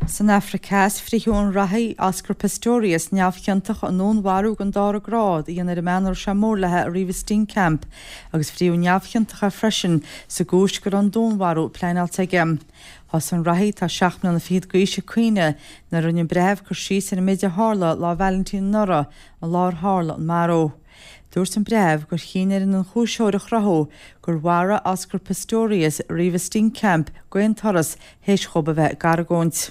San Afraic Theas, frítheadh an reathaí Oscar Pistorius neamhchiontach i ndúnmharú den dara grád a dhéanamh ar an mbean a raibh sé mór léi, Reeva Steenkamp, agus frítheadh neamhchiontach é freisin sa gcúis go raibh an dúnmharú pleanáilte aige. Thosaigh an reathaí, atá 7 mbliana fichead d'aois, ag caoineadh nuair a rinne an breitheamh cur síos ar an méid a tharla Lá Vailintín anuraidh, an lá ar tharla an marú. Dúirt an breitheamh gur chinn ar an ionchúisitheoir a chruthú gur mharaigh Oscar Pistorius Reeva Steenkamp d'aon turas théis dhóibh a bheith ag argóint.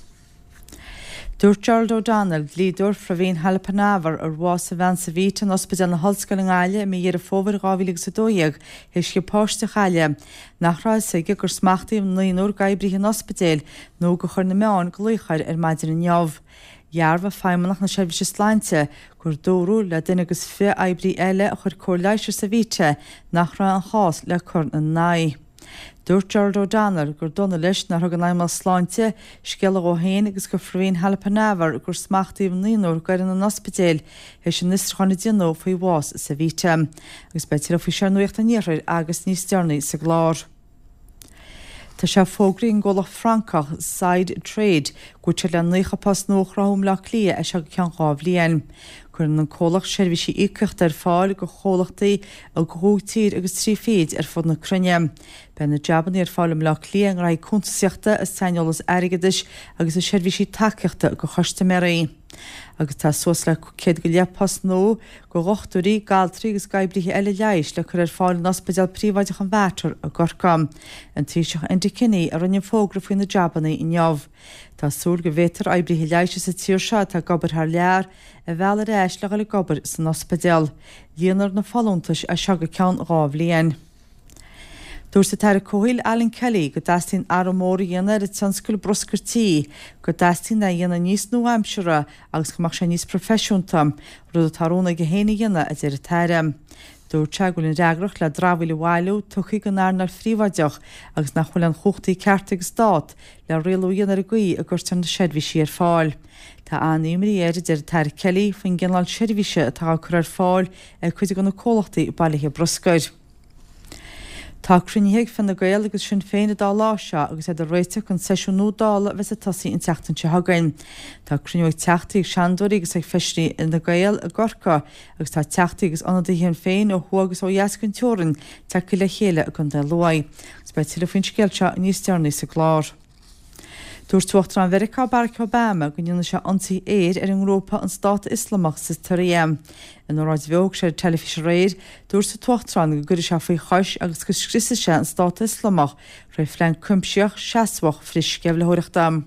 Dúirt Gerald O'Donnell, dlíodóir Phraveen Halappanavar, ar bhásaigh a bhean Savita in Ospidéal na hOllscoile i nGaillimh i mí Dheireadh Fómhair 2012 théis di páiste a chailleadh, nach raibh a fhios aige gur smachtaíodh naonúr d'oibrithe an ospidéil nó gur chuir na meáin glaoch air ar maidin inniu. Dhearbhaigh Feidhmeannacht na Seirbhíse Sláinte gur dúradh le duine agus 20 oibrí eile a chuir cóir leighis ar Savita nach raibh aon chás le cur ina n-aghaidh. Dúirt Gerald O'Donnell gur dona leis nár thug an Fheidhmeannacht Sláinte scéala dhó féin agus do Phraveen Halappanavar gur smachtaíodh naonúr d'fhoireann an ospidéil théis an fhiosrúcháin a déanadh faoi bhás Savita. Agus beidh tuilleadh faoi seo ar Nuacht an Iarthair agus níos deireanaí sa gclár. Tá sé fógraithe ag an gcomhlacht Francach Sidetrade go bhfuil siad le 90 post nua a chruthú i mBleá Cliath as seo go ceann 2 bhliain. Cuireann an comhlacht seirbhísí íocaíochta ar fáil do chomhlachtaí i gcúig tír agus 3 fichid ar fud na cruinne. Beidh na jabannaí ar fáil i mBleá Cliath i ngraithí cuntasaíochta, i saineolas airgeadais agus i seirbhísí tacaíochta do chustaiméirí. Agus tá suas le 100 go leith post nua do dhochtúirí, d'altraí agus d'oibrithe eile leighis le cur ar fáil in Ospidéal Príobháideach an Mhater i gCorcaigh. An Taoiseach Enda Kenny a rinne an fógra faoi na jabannaí inniu. Tá súil go bhféadfar oibrithe leighis sa tír seo atá ag obair thar lear a mhealladh ar ais le dhul ag obair san ospidéal. Líonfar na folúntais as seo go ceann 2 bhliain. Dúirt an tAire Comhshaoil Alan Kelly go dteastaíonn athrú mór a dhéanamh ar an tionscal bruscair tí, go dteastaíonn é a dhéanamh níos nua-aimseartha agus go mbeadh sé níos proifisiúnta, rud atá rún aige féin a dhéanamh, a deir an tAire. Dúirt sé go bhfuil an fhreagracht le dramhaíl a bhailiú tugtha don earnáil phríobháideach agus nach bhfuil aon chumhachtaí cearta ag an Stát le rialú a dhéanamh ar an gcaoi a gcuirtear na seirbhísí ar fáil. Tá an-imní air, a deir an tAire Kelly, faoin gcineál seirbhíse atá á cur ar fáil ag cuid de na comhlachtaí bailithe bruscair. Tá cruinnithe ag Fine Gael agus Sinn Féin an dá lá seo agus iad ag réiteach don seisiún nua Dála a bheas ag tosaí an tseachtain seo chugainn. Tá cruinniú ag teachtaí, ag seanadóirí agus ag feisirí Fhine Gael i gCorcaigh agus tá teachtaí agus ionadaithe Shinn Féin ó thuaidh agus ó dheas den teorainn tagtha le chéile i gContae Lú. Agus beidh tuilleadh faoin scéal seo níos deireanaí sa gclár. Dúirt Uachtarán Mheiriceá Barack Obama go ndéanfaidh sé ionsaí aeir ar an ngrúpa An Stát Ioslamach sa tSiria. In óráid bheo a thug sé ar an teilifís aréir, dúirt an tUachtarán go gcuirfidh sé faoi chois agus go scriosfaidh sé an Stát Ioslamach tré phlean cuimsitheach, seasmhach frithsceimhlitheoireachta.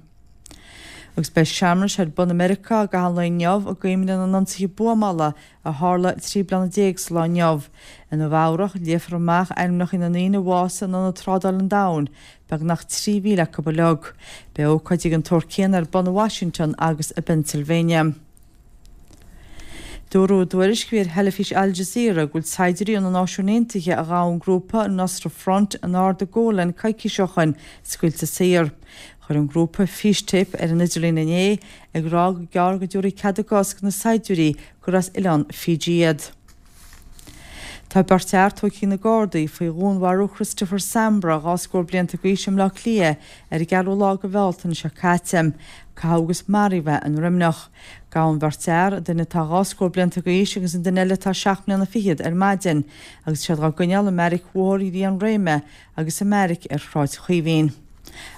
Agus beidh searmanais ar bun i Meiriceá i gcaitheamh an lae inniu i gcuimhne na n-ionsaithe buamála a tharla 13 bliana sa lá inniu. I Nua Eabhrach, léifear amach ainmneacha na ndaoine a bhásaigh in Ionad Trádála an Domhain, beagnach 3,000 acu uilig. Beidh ócáidí den tsórt céanna ar bun i Washington agus i bPennsylvania. Dúradh i dtuairisc a bhí ar theilifís Al Jazeera go bhfuil saighdiúirí ó na Náisiúin Aontaithe a ghabh an grúpa an Nusra Front in Arda Golan coicís ó shoin scaoilte saor. Chuir an grúpa fístéip ar an idirlíon inné ag rá gur gearr go dtabharfaí cead a gcos do na saighdiúirí gur as oileán Fiji iad. Tá beirt fhear tógtha ag na Gardaí faoi dhúnmharú Christopher Sambra, 2 scór blianta d'aois i mBleá Cliath ar an gceathrú lá de Bhealtaine seo caite. Caitheadh agus maraíodh é i nDroimneach. Gabhadh an bheirt fhear, duine atá 2 scór blianta d'aois agus an duine eile atá 7 mbliana fichead, ar maidin agus iad á gcoinneáil i mbeairic Bhóthar Rí an Réime agus i mbeairic ar Shráid Chaoimhín.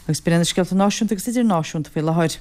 Agus b'in iad na scéalta náisiúnta agus idirnáisiúnta faoi láthair.